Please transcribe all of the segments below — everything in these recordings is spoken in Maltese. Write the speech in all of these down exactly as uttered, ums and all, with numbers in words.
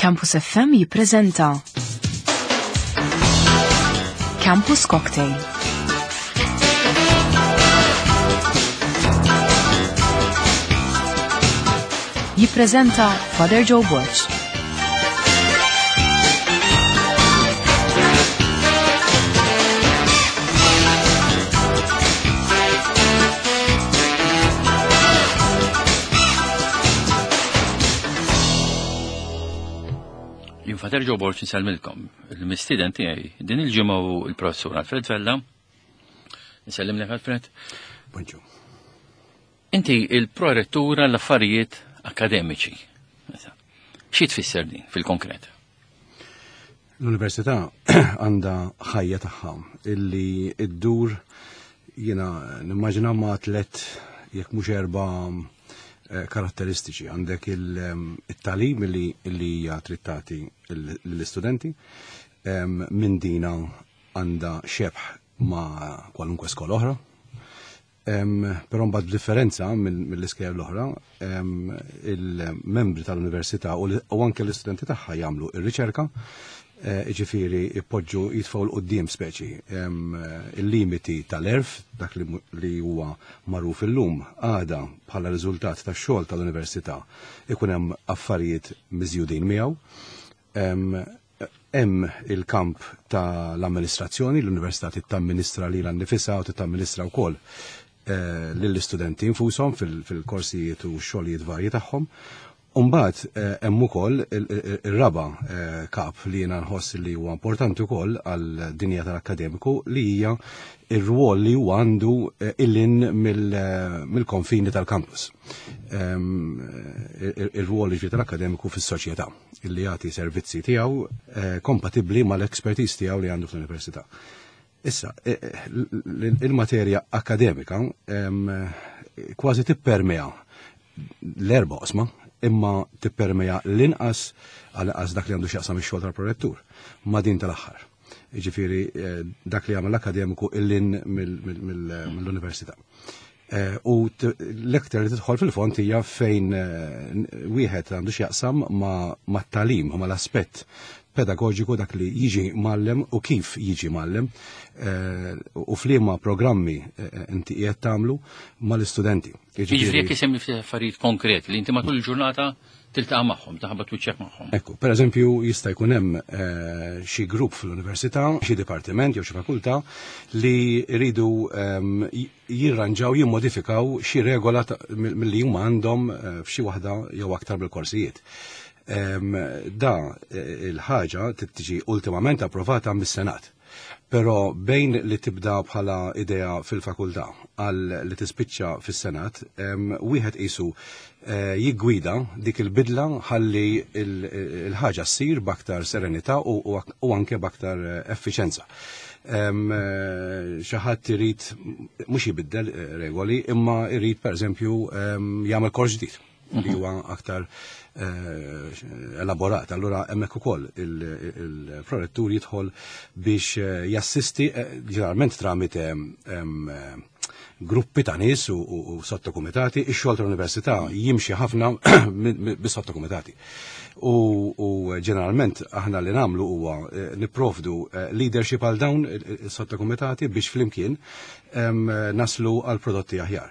Campus F M jippreżenta Campus Cocktail. Jippreżenta Father Joe Borg. Jien Father Joe Borg nsellmilkom. Il-mistieden tiegħi din il-ġimgħa hu il-professur Alfred Vella. Nsellimlek, Alfred. Bonġu. Inti il-prorettura l-affarijiet akademiċi. Xi tfisser din fil-konkret? L-università għandha ħajja tagħha illi iddur, jiena nimmaġina, ma' tlet, jekk mhux erba' eh, karatteristiċi. Għandek il-tagħlim li hija trid tagħti lill-istudenti, minn dina għandha xebħ ma' kwalunkwe skola oħra. Però mbagħad, b'differenza mill-iskejjel l-oħra, il-membri tal-università u anke l-istudenti tagħha jagħmlu ir-riċerka, eh, ġifieri ipoġġu, jitfgħu 'l quddiem speċi il-limiti tal-għerf, dak li huwa magħruf illum, għada bħala riżultat tax-xogħol tal-università ikun hemm affarijiet miżjudin miegħu. Hemm il-kamp tal-amministrazzjoni, l-università tittamministra lilha nnifisha u tittamministra wkoll eh, lill-istudenti infushom fil-korsijiet u xogħlijiet varji tagħhom. Umbagħad eh, hemm ukoll ir-raba eh, kap li jiena nħoss li huwa importanti wkoll għal dinja tal-akademiku, li hija ir-rwol li huwa għandu lil hinn mill-konfini tal-campus. Ehm, ir-rwol li tal-akademiku fis-soċjetà illi jagħti servizzi tiegħu kompatibbli mal-expertise tiegħu li għandu fl-università. Issa, il-materja akademika kważi tippermea l-erba' oqsma, imma tippermea l-inqas, għal dak li għandu x'jaqsam ix-xogħol tal-prorettur, ma' din tal-aħħar. Jiġifieri eh, dak li jagħmel akademiku lil hinn mill-università. Eh, u l-ektar li tidħol fil-fond hija fejn eh, wieħed għandu x'jaqsam ma' tagħlim, ma' l-aspett pedagogiku, dak li jiġi mgħallem u kif jiġi mgħallem u f'liema programmi inti qiegħed tagħmlu mal-istudenti. Jiġifieri jekk isemmi ftit affarijiet konkreti li inti matul il-ġurnata tiltaqa' magħhom, taħbat wiċċek magħhom. Ekku, per eżempju, jista' jkun hemm eh, xi grupp fl-università, xi dipartiment jew xi fakultà li jridu ehm, jirranġaw, jimmodifikaw xi regola milli huma għandhom eh, f'xi waħda jew aktar bil-korsijiet. Ehm, da eh, il-ħaġa tiġi ultimament approvata mis-Senat. Però bejn li tibda bħala idea fil-fakultà għal li tispiċċa fis-Senat, wieħed qisu eh, jiggwida dik il-bidla ħalli il-ħaġa ssir b'aktar serenità u anke b'aktar eh, effiċenza. Xi ħadd irid mhux jibiddel regoli, imma irid, pereżempju, jagħmel kors ġdid li huwa aktar eh, elaborat. Allura hemmhekk ukoll il-prorettur jidħol biex eh, jassisti, eh, ġeneralment tramite gruppi ta' nies u sottokumitati. Ix-xogħol tal-università jimxi ħafna bis-sottokumitati. U ġeneralment aħna li nagħmlu huwa nipprovdu leadership għal dawn is-sottokumitati biex flimkien naslu għal prodotti aħjar.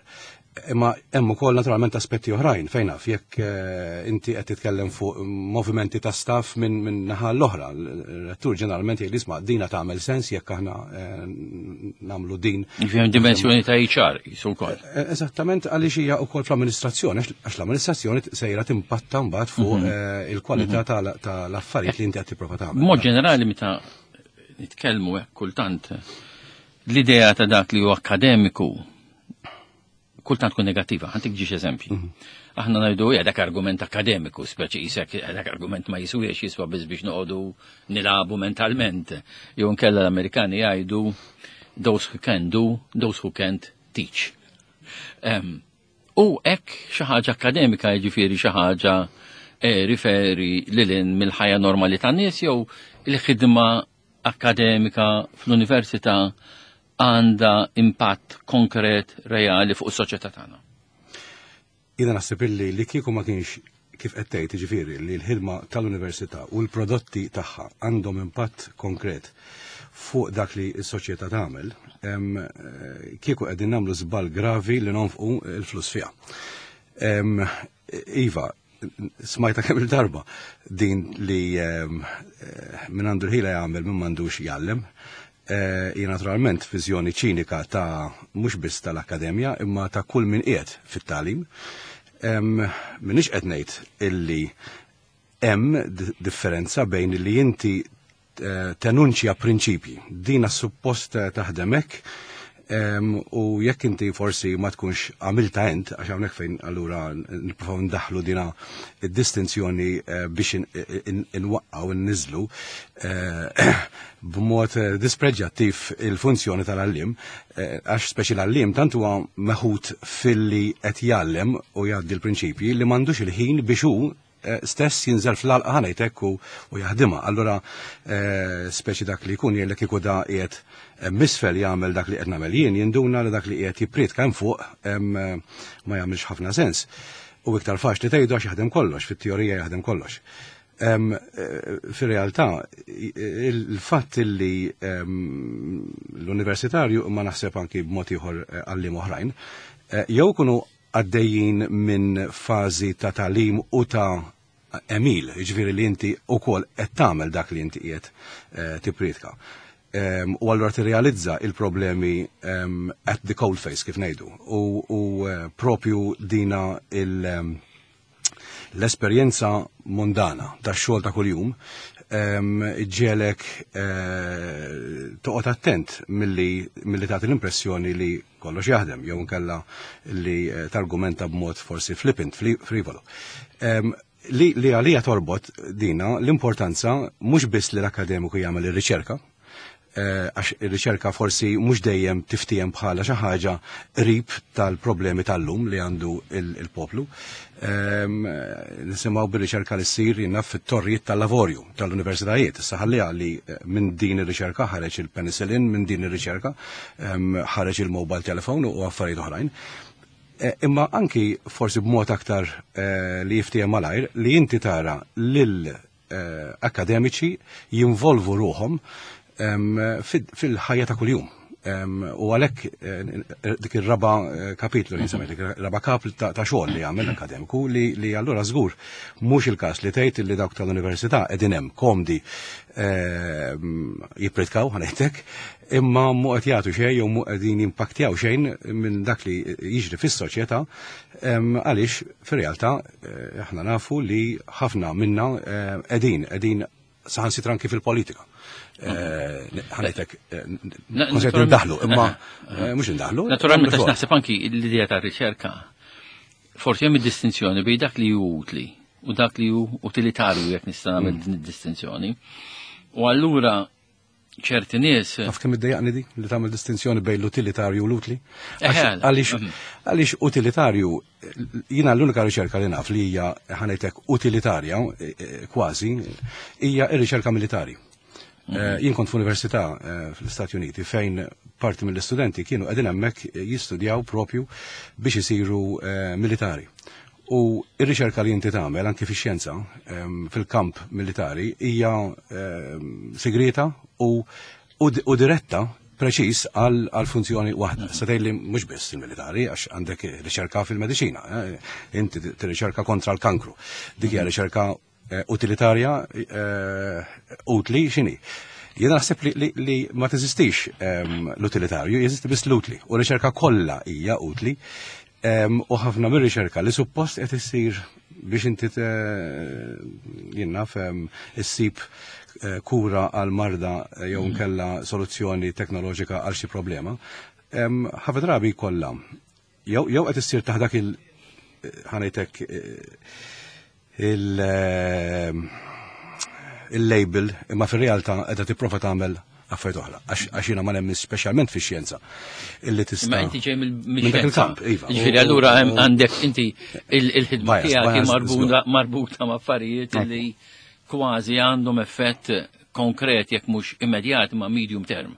Imma hemm ukoll naturalment aspetti oħrajn, fejn naf jekk eh, inti qed titkellem fuq movimenti ta' staff minn min naħa l-oħra. Il-rettur ġeneralment jgħid, "Isma', dina tagħmel sens jekk aħna eh, nagħmlu din." Fihom dimensjoni ta' H R jisu wkoll. Eh, eżattament, għaliex hija wkoll fl-amministrazzjoni, għax l-amministrazzjoni sejra timpatta mbagħad fuq mhm. il-kwalità mhm. tal-affarijiet li inti qed tipprova tagħmel. Mod ġenerali, meta nitkellmu hekk, kultant l-idea ta' dak li huwa akademiku kultant tkun negattiva. Ħa ntik żewġ eżempji. Mhm. Aħna ngħidu, "Ja, dak argument akademiku, speċi jisek dak argument ma jiswiex, jiswa biss biex noqogħdu nilagħbu mentalment." Jew nkella l-Amerikani jgħidu, "Those who can do, those who can't teach." Um, u hekk xi ħaġa akademika, jiġifieri xi ħaġa eh, riferi lil hinn mill-ħajja normali tan-nies, jew il-ħidma akademika fl-università għandha impatt konkret reali fuq is-soċjetà tagħna? Jiena naħseb illi li kieku ma kienx kif qed tgħid, jiġifieri li l-ħidma tal-università u l-prodotti tagħha għandhom impatt konkret fuq dak li s-soċjetà tagħmel, em, eh, kieku qegħdin nagħmlu żball gravi li nonfqu l-flus fiha. Em, Iva, smajta kemm il-darba din li em, eh, min għandu l-ħila jagħmel, min m'għandux jgħallem. Eh, Hija naturalment viżjoni ċinika ta' mhux biss tal-akkademja imma ta' kull min qiegħed fit-tagħlim. Em, M'iniex qed ngħid illi hemm di- differenza bejn li inti eh, tenunċja prinċipji. Dina suppost eh, taħdem hekk em, u jekk inti forsi ma tkunx għamilta ent, għax hawnhekk fejn allura nippruvaw ndaħlu dina id-distinzjoni eh, biex in- in- inwaqqaw inniżlu eh, b'mod eh, dispreġjattiv il-funzjoni tal-għallim, eh, għax speċi l-għallim tant huwa meħud filli qed jgħallem u jgħaddi l-prinċipji li m'għandux il-ħin biex hu eh, stess jinżel fl-għalqa ħa ngħidlek u, u jaħdimha. Allura eh, speċi dak li jkun jgħidlek kieku da qiegħed eh, misfel jagħmel dak li qed nagħmel jien, jinduna li dak li qiegħed jippriedka hemm fuq em, eh, ma jagħmilx ħafna sens. U iktar faċli tgħidu għax jaħdem kollox, fit-teorija jaħdem kollox. Em, eh, Fir-realtà, il-fatt li em, l-universitarju, ma naħseb anki b'mod ieħor eh, għalliem oħrajn, eh, jew kunu għaddejjin minn fażi ta' tagħlim u ta' għemil, jiġifieri li inti ukoll qed tagħmel dak li inti qiegħed eh, tippriedka. Um, u allura tirrealizza il-problemi um, at the cold face, kif ngħidu. U, u uh, propju dina il- um, l-esperjenza mondana ta' xogħol ta' kuljum um, ġelek uh, toqgħod attent milli milli tagħti l-impressjoni li kollox jaħdem jew inkella li eh, targumenta b'mod forsi flippant, fli- frivolo. Um, li, li għalija torbot dina l-importanza mhux biss li l-akademiku jagħmel ir-riċerka, eh, għax ir-riċerka forsi mhux dejjem tiftiem bħala xi ħaġa qrib tal-problemi tal-lum li għandu il- il-poplu. Ehm, Nisimgħu bir-riċerka li ssir jiena fit-torrijiet tal-lavorju tal-universitajiet. Issa ħalliha li eh, minn din ir-riċerka ħareġ il-penicillin, minn din ir-riċerka ehm, ħareġ il-mobile telephone u affarijiet oħrajn. Eh, Imma anki forsi b'mod aktar eh, li jiftiem malajr li inti tara lil eh, akademiċi jinvolvu ruħhom em, fil- fil-ħajja ta' kuljum. Em, U għalhekk eh, dik ir-raba eh, kapitlu li nsemmejt, dik ir-raba kapitlu ta' ta' xogħol li jagħmel akademiku li li allura żgur mhux il-każ li tgħid li dawk tal-università qegħdin hemm komdi em, jippritkaw ħa ngħidlek, imma mhu qed jagħtu xejn jew mhu qegħdin jimpaktjaw xejn minn dak li jiġri fis-soċjetà em, għaliex fir-realtà eh, aħna nafu li ħafna minna eh, qegħdin qegħdin saħansitra anki fil-politika. Eh, ħa ngħidlek, Na- konsert naturalment- indaħlu, imma eh, mhux indaħlu. Naturalment, nagħmlu għax xogħol. naħseb anki l-idea ta' riċerka, forsi hemm id-distinzjoni bejn dak li hu utli u dak li hu utilitarju, jekk nista' nagħmel din id-distinzjoni. U allura ċerti nies Taf kemm iddejjaqni di li tagħmel distinzjoni bejn l-utilitarju u l-utli? Għax- Eħe, Għaliex mhm. għaliex utilitarju, jiena l-unika riċerka li naf li hija ħa ngħidlek utilitarja eh, eh, kważi hija r-riċerka militari. Eh, Jien kont f'università eh, fl-Istati Uniti fejn parti mill-istudenti kienu qegħdin hemmhekk jistudjaw propju biex isiru eh, militari. U ir-riċerka li inti tagħmel anki fix-xjenza em, fil-kamp militari hija em, segreta u, u, u diretta preċis għal għal funzjoni waħda. Sa tgħid li mhux biss il-militari, għax għandek riċerka fil-mediċina, eh, inti tirriċerka kontra l-kankru. Dik hija riċerka eh, utilitarja, eh, utli x'inhi. Jiena naħseb li, li, li ma teżistix em, l-utilitarju, jeżisti biss l-utli. U riċerka kollha hija utli. Em, u ħafna mir-riċerka li suppost qed issir biex inti te- jien naf em, issib eh, kura għal marda eh, jew nkella soluzzjoni teknoloġika għal xi problema, em, ħafna drabi kollha jew jew qed issir taħt dak il ħa ngħidlek eh, il eh, il-label imma fir-realtà qiegħda tipprova tagħmel affarijiet oħra. Għax għax jiena ma nemmen speċjalment fix-xjenza illi tista' Imma inti ġej Minn dak mill-xjenza. il-kamp, iva. Ġifieri U- allura hemm u- għandek inti il- il-ħidma Bias, tiegħek hi bias, marbuta marbuta ma' affarijiet li kważi għandhom effett konkret, jekk mhux immedjat ma' medium term.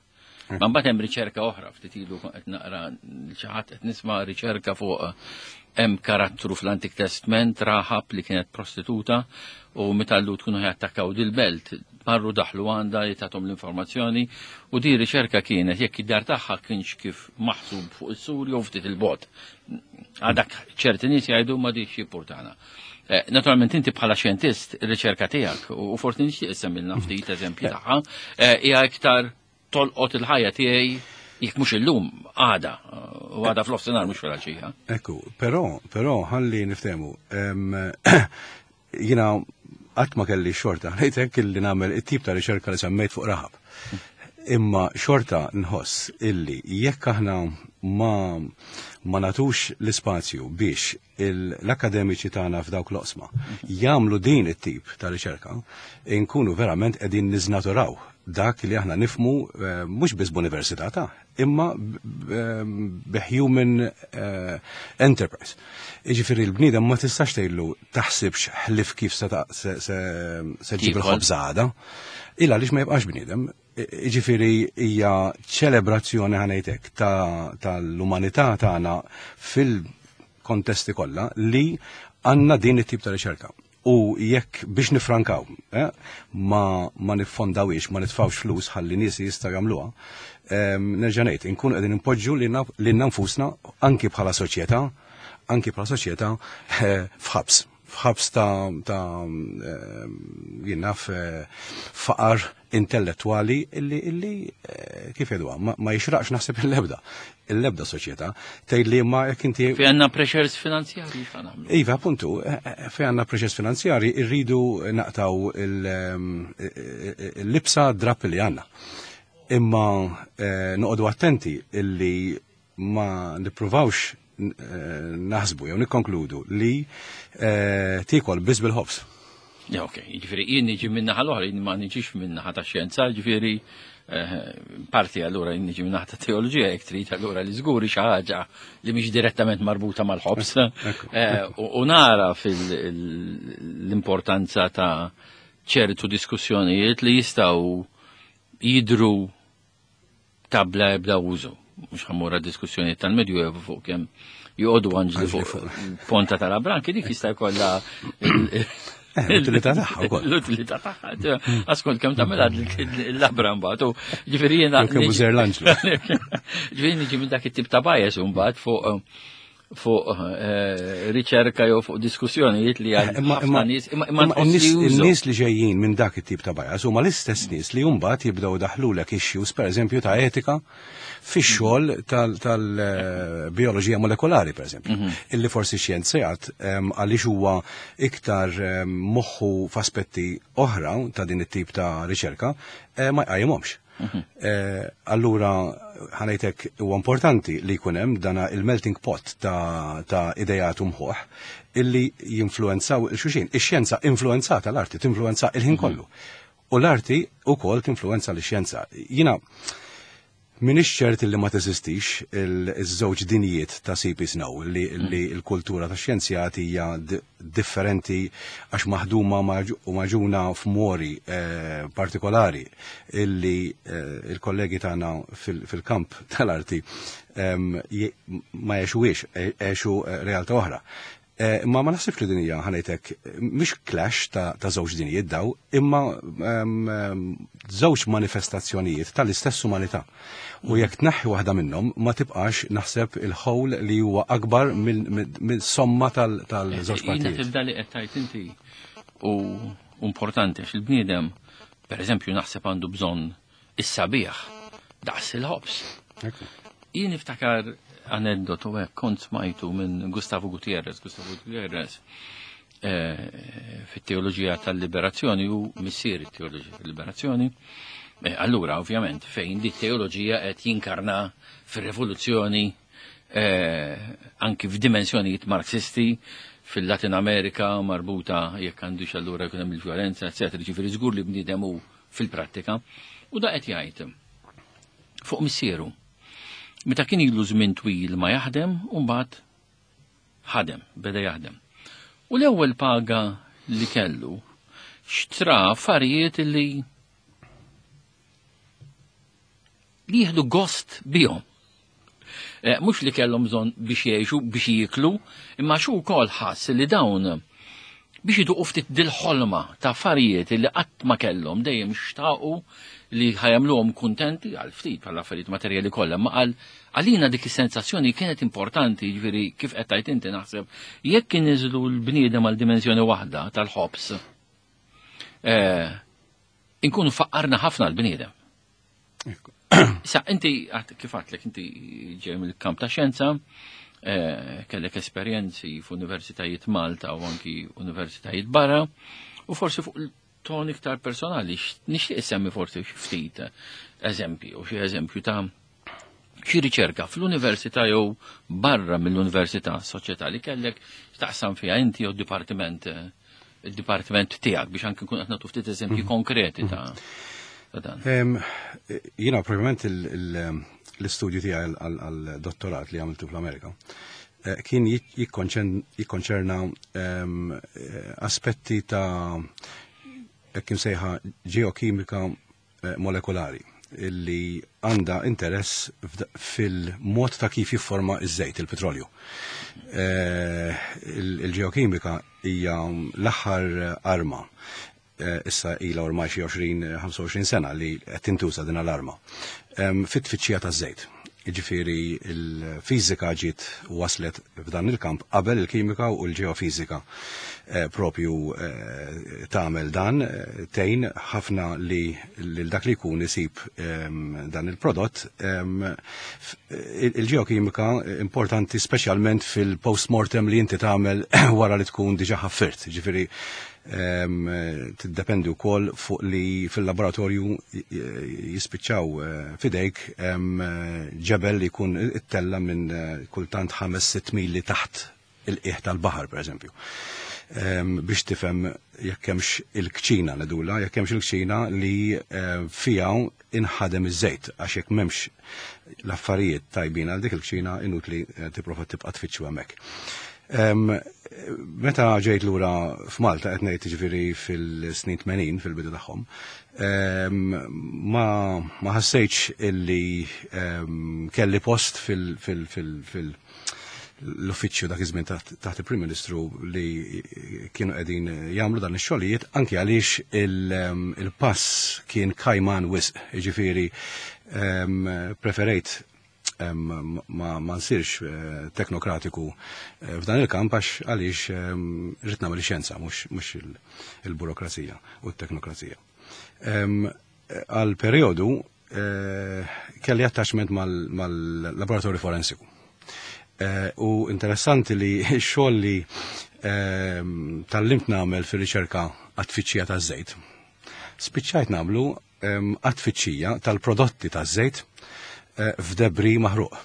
Ma mbagħad hemm riċerka oħra, ftit ilu qed naqra xi ħadd, qed nisma' riċerka fuq Hemm karattru fl-Antik Testament, Rahab li kienet prostituta, u meta l-Lhud kienu jattakkaw dil-belt, marru daħlu għandha li tathom l-informazzjoni, u di riċerka kienet jekk id-dar tagħha kienx kif maħsub fuq is-sur jew ftit il-bot. Għadak ċerti nies jgħidu ma dik xi Eh, Naturalment inti bħala xjentist ir-riċerka tiegħek u forsi nixtieq issemmilna ftit eżempji tagħha, eh, hija iktar tolqot il-ħajja tiegħi jekk mhux illum għada, u għada fl-ofsinhar mhux fil-għaxija. Ekku, però, però ħalli niftehmu. Jiena qatt ma kelli xorta, ngħidlek illi nagħmel it-tip ta' riċerka li semmejt fuq Rahab. Imma xorta nħoss illi jekk aħna ma ma nagħtux l-ispazju biex l-akademiċi tagħna f'dawk l-oqsma jagħmlu din it-tip ta' riċerka, inkunu verament qegħdin niżnaturaw dak li aħna nifhmu eh, mhux biss b'università ta' imma b'human eh, enterprise. Jiġifieri l-bniedem ma tistax tgħidlu taħsibx ħlif kif se ġib il-ħobż għada. Illa għaliex ma jibqax bniedem. Jiġifieri hija ċelebrazzjoni, ħa ngħidlek, tal-umanità tagħna fil-kontesti kollha li għandna din it-tip ta' riċerka. U jekk biex nifrankaw, eh, ma, ma niffondawix, ma nitfawx flus ħalli nies jistgħu jagħmluha, nerġa' ngħid, inkunu qegħdin impoġġu lilna nfusna anki bħala soċjetà, anki bħala soċjetà eh, f'ħabs. F'ħabs ta' ta' jien naf eh, faqar intellettwali illi illi eh, kif jgħiduha ma, ma jixraqx naħseb il-lebda il-lebda soċjetà. Tgħid li ma jekk inti Fi għandna pressures finanzjari x'għan nagħmlu. Iva, appuntu, eh, eh, fi għandna pressures finanzjari irridu naqtaw il-libsa drap li għandna. Imma noqogħdu attenti illi ma nippruvawx naħsbu jew nikkonkludu li tiekol biss bil-ħobż. Ja, ok, jiġifieri jien niġi minna l-oħra, jien ma niġix minna ta' xjenza, jiġifieri parti allura jien niġi minna ta' teoloġija jekk trid allura li żguri xi ħaġa li mhix direttament marbuta mal-ħobż. U nara fil-importanza ta' ċertu diskussjonijiet li jistgħu jidru tabla ebda użu. Mhux ħa mmur diskussjonijiet tal-Medjuevu fuq kemm joqogħdu anġli fuq ponta tal-labranki, dik jista' jkollha L-utilità tagħha wkoll. L-utilità tagħha. Askont kemm tagħmel il-labra mbagħad. U ġifieri jiena. Kemm użer l-anġlu. Ġifieri niġi minn dak it-tip ta' bias mbagħad fuq fuq eh, riċerka jew fuq diskussjonijiet li għal Imma ħafna nies imma imma imma n-nies li ġejjin minn dak it-tip ta' bias huma l-istess nies li mbagħad jibdew daħlulek issues pereżempju ta' etika fix-xogħol tal-bioloġija molekolari pereżempju, illi forsi xjenzjat għaliex huwa iktar moħħu f'aspetti oħra ta' din it-tip ta' riċerka eh, ma jqajjimhomx. Eh, allura ħa ngħidlek huwa importanti li jkun hemm dana il-melting pot ta', ta idejat u mħuħ illi jinfluenzaw il-xulxin. Ix-xjenza influenzata l-arti, tinfluenza il-ħin kollu. U l-arti ukoll tinfluenza l-xjenza. Jiena Minix ċert li ma teżistix il-żewġ dinijiet ta' C P. Snow li, li l-kultura ta' xjenzjati hija differenti għax maħduma u magħġuna f'mori eh, partikolari illi eh, il-kollegi tagħna fil-kamp tal-arti ma jgħixuhiex, għexu eh, realtà oħra. Ma ma naħsibx li din hija, ħa ngħidlek, mhix clash ta', ta żewġ dinijiet daw, imma żewġ manifestazzjonijiet tal-istess umanità. U jekk tneħħi waħda minnhom ma tibqax naħseb il-whole li huwa akbar mill-somma tal-żewġ partijiet. Tibda li qed tgħid inti u importanti għax il-bniedem, pereżempju, naħseb għandu bżonn is-sabiħ daqs il-ħobż. Jien niftakar aneddotu hekk kont smajtu minn Gustavo Gutierrez. Gustavo Gutierrez eh, fit-teoloġija tal-liberazzjoni u missier it-teoloġija tal-liberazzjoni. Eh, allura, ovvjament, fejn di teoloġija qed jinkarna fir-rivoluzzjoni eh, anki f'dimensjonijiet marxisti fil-Latin Amerika marbuta jekk għandux allura jkun hemm il-vjolenza, eċetera. Ġifieri żgur li bniedem hu fil-prattika. U da qed jgħid fuq missieru. Meta kien ilu żmien twil ma jaħdem, u mbagħad ħadem, beda jaħdem. U l-ewwel paga li kellu xtra affarijiet li li jieħdu gost bihom. Mhux li kellhom bżonn biex jgħixu, biex jieklu, imma xu wkoll ħass li dawn biex iduqu ftit dil-ħolma ta' affarijiet li qatt ma kellhom dejjem xtaqu li ħa jagħmluhom kuntenti għal ftit bħala affarijiet materjali kollha, ma għal għalina dik is-sensazzjoni kienet importanti, ġifieri kif qed tgħid inti naħseb jekk inniżlu l-bniedem għal dimensjoni waħda tal-ħobż, eh, inkunu faqqarna ħafna l-bniedem. Sa, inti kif għedtlek, inti ġej mill-kamp ta' xjenza, eh, kellek esperjenzi f'universitajiet Malta u anki universitajiet barra, u forsi fuq il-ton iktar personali, nixtieq semmi forsi xi ftit eżempju, u xi eżempju ta' xi riċerka fl-università jew barra mill-università soċjetà li kellek taqsam fiha inti jew dipartiment il-dipartiment tiegħek biex anki nkun qed nagħtu ftit eżempji mhm. konkreti ta' dan. Jiena probabilment l-istudju tiegħi għal-dottorat li għamiltu fl-Amerika eh, kien jikkonċerna aspetti ta' kif sejħa ġeokimika eh, molekulari illi għanda interess fil-mod ta' kif jifforma iż-żejt, il-petrolju. Eh, il-ġeokimika hija l-aħħar arma eh, issa ila ormai xi għoxrin ħamsa u għoxrin sena li qed tintuża din l-arma. Fit-tfittxija taż-żejt. Jiġifieri il-fiżika ġiet waslet f'dan il-kamp qabel il-kimika u l-ġeofizika eh, propju eh, tagħmel dan eh, tgħin ħafna li lil dak li jkun isib ehm, dan il-prodott. Ehm, il-ġeokimika importanti speċjalment fil-post-mortem li inti tagħmel wara li tkun diġà ħaffirt. Ġifieri ehm, tiddependi wkoll fuq li fil-laboratorju jispiċċaw fidejk ġebel li jkun ittella minn kultant ħames sitt mili taħt il-qiegħ tal-baħar, per eżempju. Biex tifhem jekk hemmx il-kċina nedula, jekk hemmx il-kċina li fija inħadem iż-żejt, għax jekk m'hemmx l-affarijiet tajbin għal dik il-kċina inutli tipprova tibqa' tfittxu hemmhekk. Meta ġejt lura f'Malta, qed ngħid ġifieri fil-snin tmenin fil-bidu tagħhom, ma ma ħassejtx illi kelli post fil- fil- fil- fil- l-uffiċċju dak iż-żmien taħt il-Prim Ministru li kienu qegħdin jagħmlu dan ix-xogħlijiet, anke għaliex il-pass kien kajman wisq, jiġifieri preferejt ma ma nsirx eh, teknokratiku eh, f'dan il-kamp għax għaliex rrid nagħmel xjenza mhux il-burokrazija u t-teknokrazija. Għal periodu eh, kelli attachment mal-laboratorju forensiku. U interessanti li x-xogħol li tgħallimt nagħmel fir-riċerka għat-tfittxija taż-żejt. Spiċċajt nagħmlu għat-tfittxija tal-prodotti taż-żejt eh, f'debri maħruq.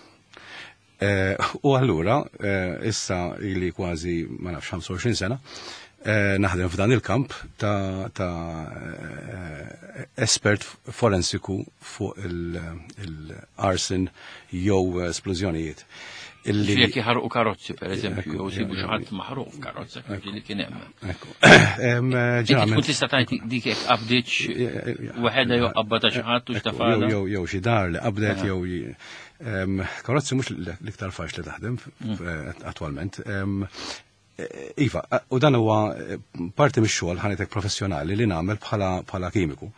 Eh, u allura, eh, issa ili kważi, ma nafx, ħamsa u għoxrin sena, naħdem f'dan il-kamp ta', ta espert forensiku fuq il-arson jew esplużjonijiet. Illi jekk jħarqu karozzi, per eżempju, jew sibu xi ħadd maħruq f'karozza kif li kien hemm. Inti tkun tista' tgħid dik jekk qabdiċ waħedha jew qabba ta' xi ħadd u x'tafala. Jew jew xi dar li qabdet jew karozzi mhux l-iktar faċli taħdem mm. attwalment. Iva, u dan huwa parti mix-xogħol ħanitek professjonali li nagħmel bħala kimiku.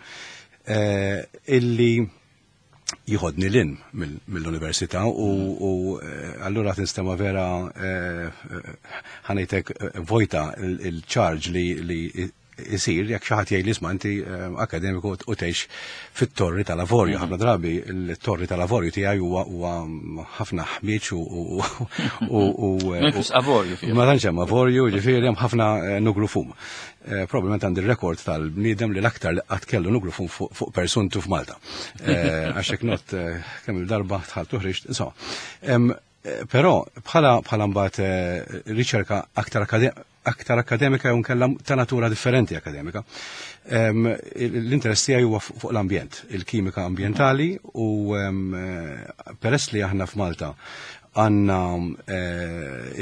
Eh, illi jiħodni lil hinn mill-università u eh, allura tinstema vera eh, ħanejtek vojta il-charge li jisir jekk xi ħadd jgħid li isma' inti akademiku u tgħix fit-torri tal-avorju. Ħafna drabi il-torri tal-avorju tiegħi huwa huwa ħafna ħmieġ u u avorju. Ma tantx hemm avorju, ġifieri hemm ħafna nugru fum. Probabbilment għandi rekord tal-bniedem li l-aktar li qatt kellu nugru fum fuq persuntu f'Malta. Għax hekk not kemm il-darba dħalt u ħriġt, insomma. Però bħala bħala mbagħad riċerka aktar aktar akademika jew nkella ta' natura differenti akademika. L-interess tiegħi huwa fuq l-ambjent, il-kimika ambjentali u peress li aħna f'Malta għandna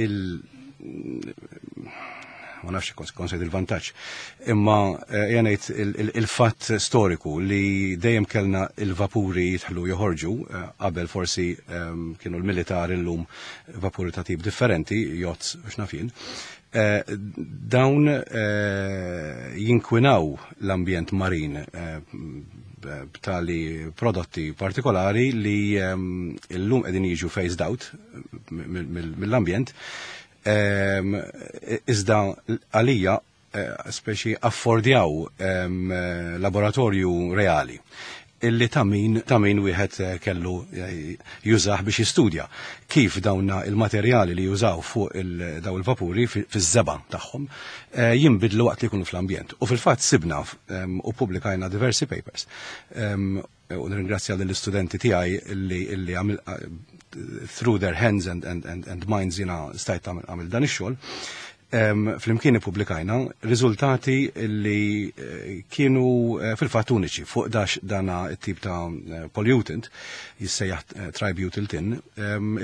il ma nafx konsejt il-vantaġġ. Imma jgħid il-fatt storiku li dejjem kellna il-vapuri jidħlu joħorġu, qabel forsi kienu l-militar, illum vapuri ta' tip differenti, yachts u x'naf jien, dawn jinkwinaw l-ambjent marin b'tali prodotti partikolari li illum qegħdin jiġu phased out mill-ambjent. Iżda għalija speċi affordjaw laboratorju reali illi ta' min ta' min wieħed kellu jużah biex jistudja kif dawna il-materjali li jużaw fuq daw il-vapuri fiż-żeba tagħhom jinbidlu waqt li jkunu fl-ambjent. U fil-fatt sibna u publikajna diversi papers. U nirringrazzja lill-istudenti tiegħi illi illi għamil through their hands and, and, and, and minds jiena stajt għamil dan ix-xogħol. Flimkien ippubblikajna riżultati li kienu fil-fatt uniċi fuq dax dana it-tip ta' pollutant jissejjaħ tributyl tin.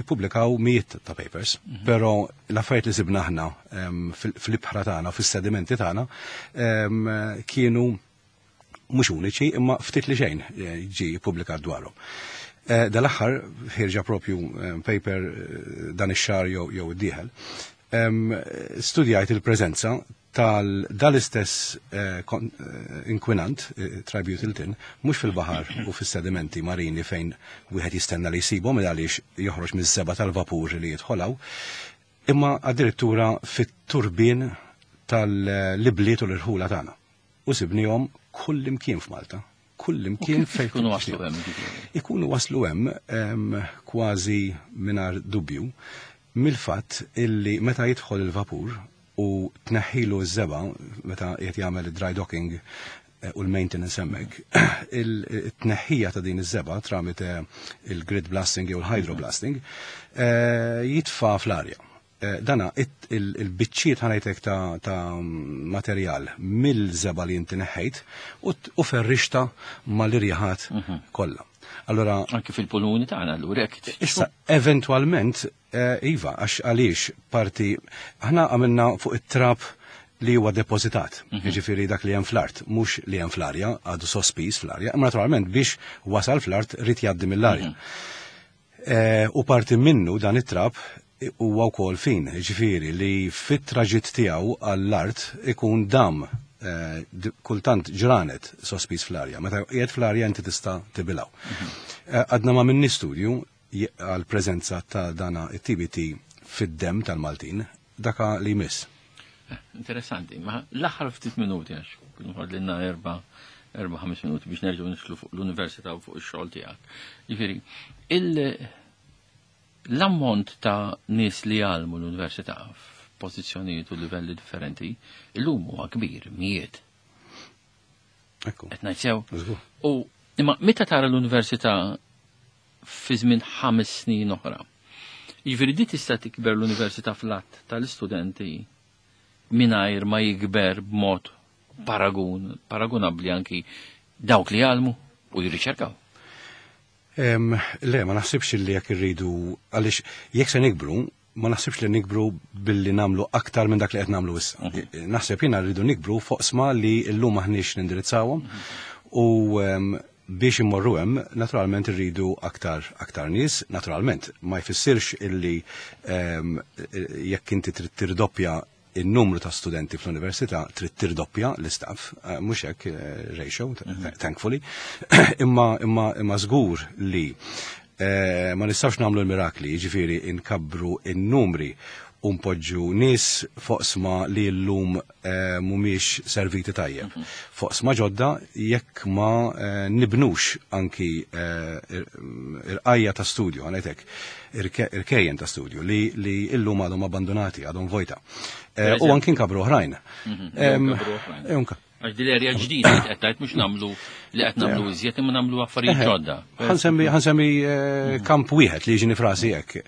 Ippubblikaw mijiet ta' papers, però l-affarijiet li sibna aħna fl-ibħra tagħna, fis-sedimenti tagħna, kienu mhux uniċi imma ftit li xejn ġi ppubblikat dwarhom. Dal-aħħar ħirġa propju paper dan ix-xahar jew id-dieħel. Studjajt il-preżenza tal-istess inkwinant, tributyl tin, mhux fil-baħar u fis-sedimenti marini fejn wieħed jistenna li jsibhom għaliex joħroġ miż-żeba tal-vapur li jidħolaw, imma addirittura fit-turbin tal-ibliet u l-irħula tagħna. U sibnihom kull imkien f'Malta. Kull imkien fejn ikunu waslu hemm. Ikunu waslu hemm kważi mingħajr dubju mill-fatt illi meta jidħol il-vapur u tneħħilu ż-żeba meta qed jagħmel dry docking u l-maintenance hemmhekk, il-tneħħija ta' din iż-żeba tramite il-grit blasting jew il-hydroblasting jitfa' fl-arja. Dana il-biċċiet ħanajtek ta' materjal mill-żeba li inti neħħejt u ferrixta mal-irjaħat kollha. Allora, anki fil-pulmuni tagħna allura hekk. Issa eventwalment iva, għax għaliex parti aħna għamilna fuq it-trab li huwa depożitat, jiġifieri dak li hemm fl-art, mhux li hemm fl-arja, għadu sospiż fl-arja, imma naturalment biex wasal fl-art rid jgħaddi mill-arja. U parti minnu dan it-trab huwa wkoll fin, jiġifieri li fit-traġitt tiegħu għall-art ikun dam kultant ġranet sospiż fl-arja. Meta qiegħed fl-arja inti tista' tibilgħu. Għadna ma minni studju għal preżenza ta' dana it-T B T fid-dem tal-Maltin, daka li jmiss. Interessanti, ma l-aħħar ftit minuti għax kienu ħadlilna erba' erba' ħames minuti biex nerġgħu nidħlu fuq l-università u fuq ix-xogħol tiegħek. Jiġifieri, l-ammont ta' nies li jgħallmu l-università f'pożizzjonijiet u livelli differenti illum huwa kbir, mijiet. Ekku. Qed ngħid sew. Żgur. U imma meta tara l-università fi żmien ħames snin oħra, jiġifieri di tista' tikber l-università fl-att tal-istudenti mingħajr ma jikber b'mod paragun, paragunabbli anki dawk li jgħallmu u jirriċerkaw. Em, le, ma naħsibx li jekk irridu, għaliex jekk se nikbru, ma naħsibx li nikbru billi namlu aktar minn dak li qed namlu issa. Mhm. Naħseb jiena rridu nikbru fuq sma li llum aħniex nindirizzawhom u, em, biex immorru hemm, naturalment irridu aktar, aktar nies, naturalment ma jfissirx illi, em, jekk inti trid tirdoppja il-numru ta' studenti fl-università trid tirdoppja l-istaff, eh, mhux hekk, eh, ratio, Mhm. thankfully, imma, imma, imma żgur li, eh, ma nistgħux nagħmlu l-mirakli, jiġifieri inkabbru n-numri u npoġġu nies fuq sma li llum, eh, mhumiex serviti tajjeb. Mhm. Fuq sma ġodda jekk ma, eh, nibnux anki, eh, irqajja ta' studju, għanetek, irke-, irkejjen ta' studju li, li illum għadhom abbandonati, għadhom vojta. Eh, u anki nkabru oħrajn. Mhm. Em, Nkabru oħrajn. e unka. Għax din l-erja ġdida li qed tgħid mhux nagħmlu li qed nagħmlu iżjed imma nagħmlu affarijiet Eħe. ġodda. Ħansemmi, ħansemmi, eh, kamp wieħed li jiġini frasi hekk.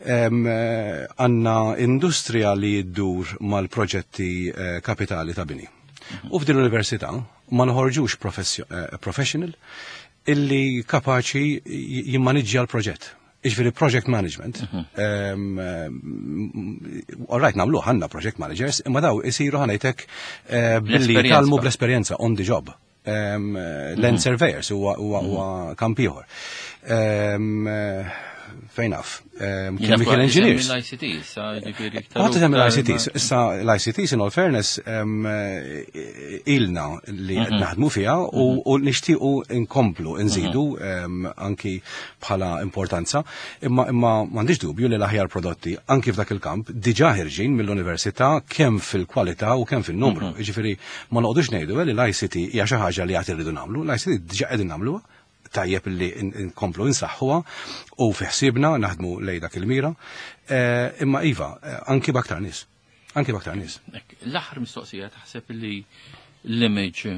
Em, eh, għandna industrija li ddur mal-proġetti, eh, kapitali ta' bini. U f'din l-università ma noħorġux professio-, eh, professional illi kapaċi j-, jimmaniġġja l-proġett. Iġifieri project management. Mhm. All right, nagħmlu għandna project managers, imma daw isiru, ħa ngħidlek, eh, billi jitgħallmu bl-esperjenza on the job. Land mhm. surveyors huwa mhm. kamp ieħor. Fejn naf, chemical engineers. L-I C T, sa ġifieri. Għad tagħmel l-I C Ts, issa l-I C Ts, in all fairness, ilna li mhm. naħdmu fiha u mhm. nixtiequ nkomplu nżidu mhm. anki bħala importanza, imma imma m'għandix dubju li l-aħjar prodotti anki f'dak il-kamp diġà ħerġin mill-università, kemm fil-kwalità u kemm fil-numru. Ġifieri ma noqogħdux ngħidu li l-I C T hija xi ħaġa li għad irridu nagħmlu, l-I C T diġà qegħdin nagħmluha, tajjeb li nkomplu insaħħuha u fi ħsiebna naħdmu lej dak il-mira. Eh, imma iva, eh, anki b'aktar nies. Anki b'aktar nies. L-aħħar mistoqsija, taħseb li l-image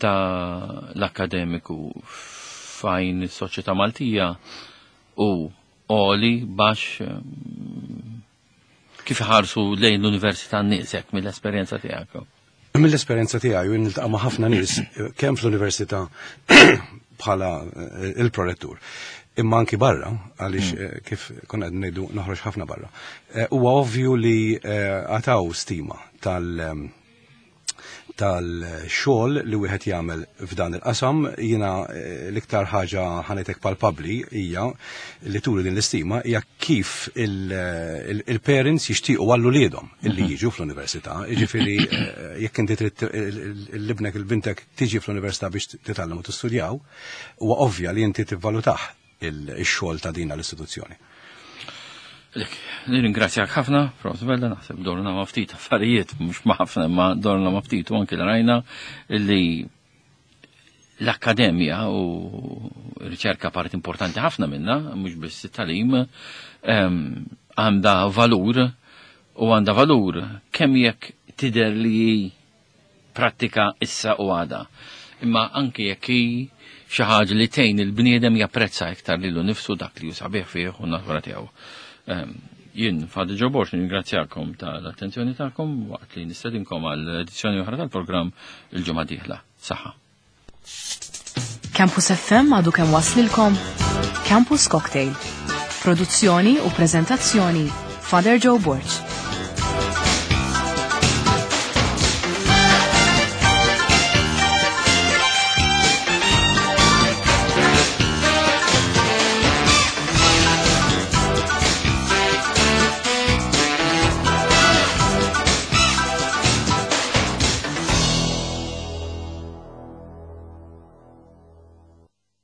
ta' l-akademiku f'għajn is-soċjetà Maltija hu għoli, baxx, kif ħarsu lejn l-università n-nies hekk mill-esperjenza tiegħek? Mill-esperjenza tiegħi, u niltaqa' ma' ħafna nies kemm fl-università bħala eh, il-prorettur, imma anki barra, għaliex mm. eh, kif konna qed ngħidu noħroġ ħafna barra. Eh, huwa ovvju li għataw stima tal- tal-xogħol li wieħed jagħmel f'dan il-qasam. Jiena eh, l-iktar ħaġa, ħa ngħidlek, palpabli hija li turi din l-istima hija kif il-parents jixtiequ għal uliedhom illi mhm. jiġu fl-università. Jiġifieri eh, jekk inti trid lil ibnek, lil bintek tiġi fl-università biex titgħallem u tistudjaw, huwa ovvja li inti tivvalutah il-xogħol ta' din l-istituzzjoni. Nirringrazzjak ħafna, Prof Vella, naħseb dorna ma' ftit affarijiet, mhux ma' ħafna, ma dorna ma' ftit, u anki rajna li l-akkademja u riċerka part importanti ħafna minna, mhux biss it-tagħlim, għandha valur u għandha valur kemm jekk tidher li prattika issa u għada. Imma anki jekk hi xi ħaġa li tgħin il-bniedem japprezza iktar lilu nifsu, dak li hu sabiħ fih u natura tiegħu. Jien, Father Joe Borg, nirringrazzjakom tal-attenzjoni tagħkom waqt li nistedinkom għal edizzjoni oħra tal-programm il-ġimgħa dieħla. Saħħa. Campus F M għadu kemm waslilkom Campus Cocktail. Produzzjoni u prezentazzjoni, Father Joe Borg.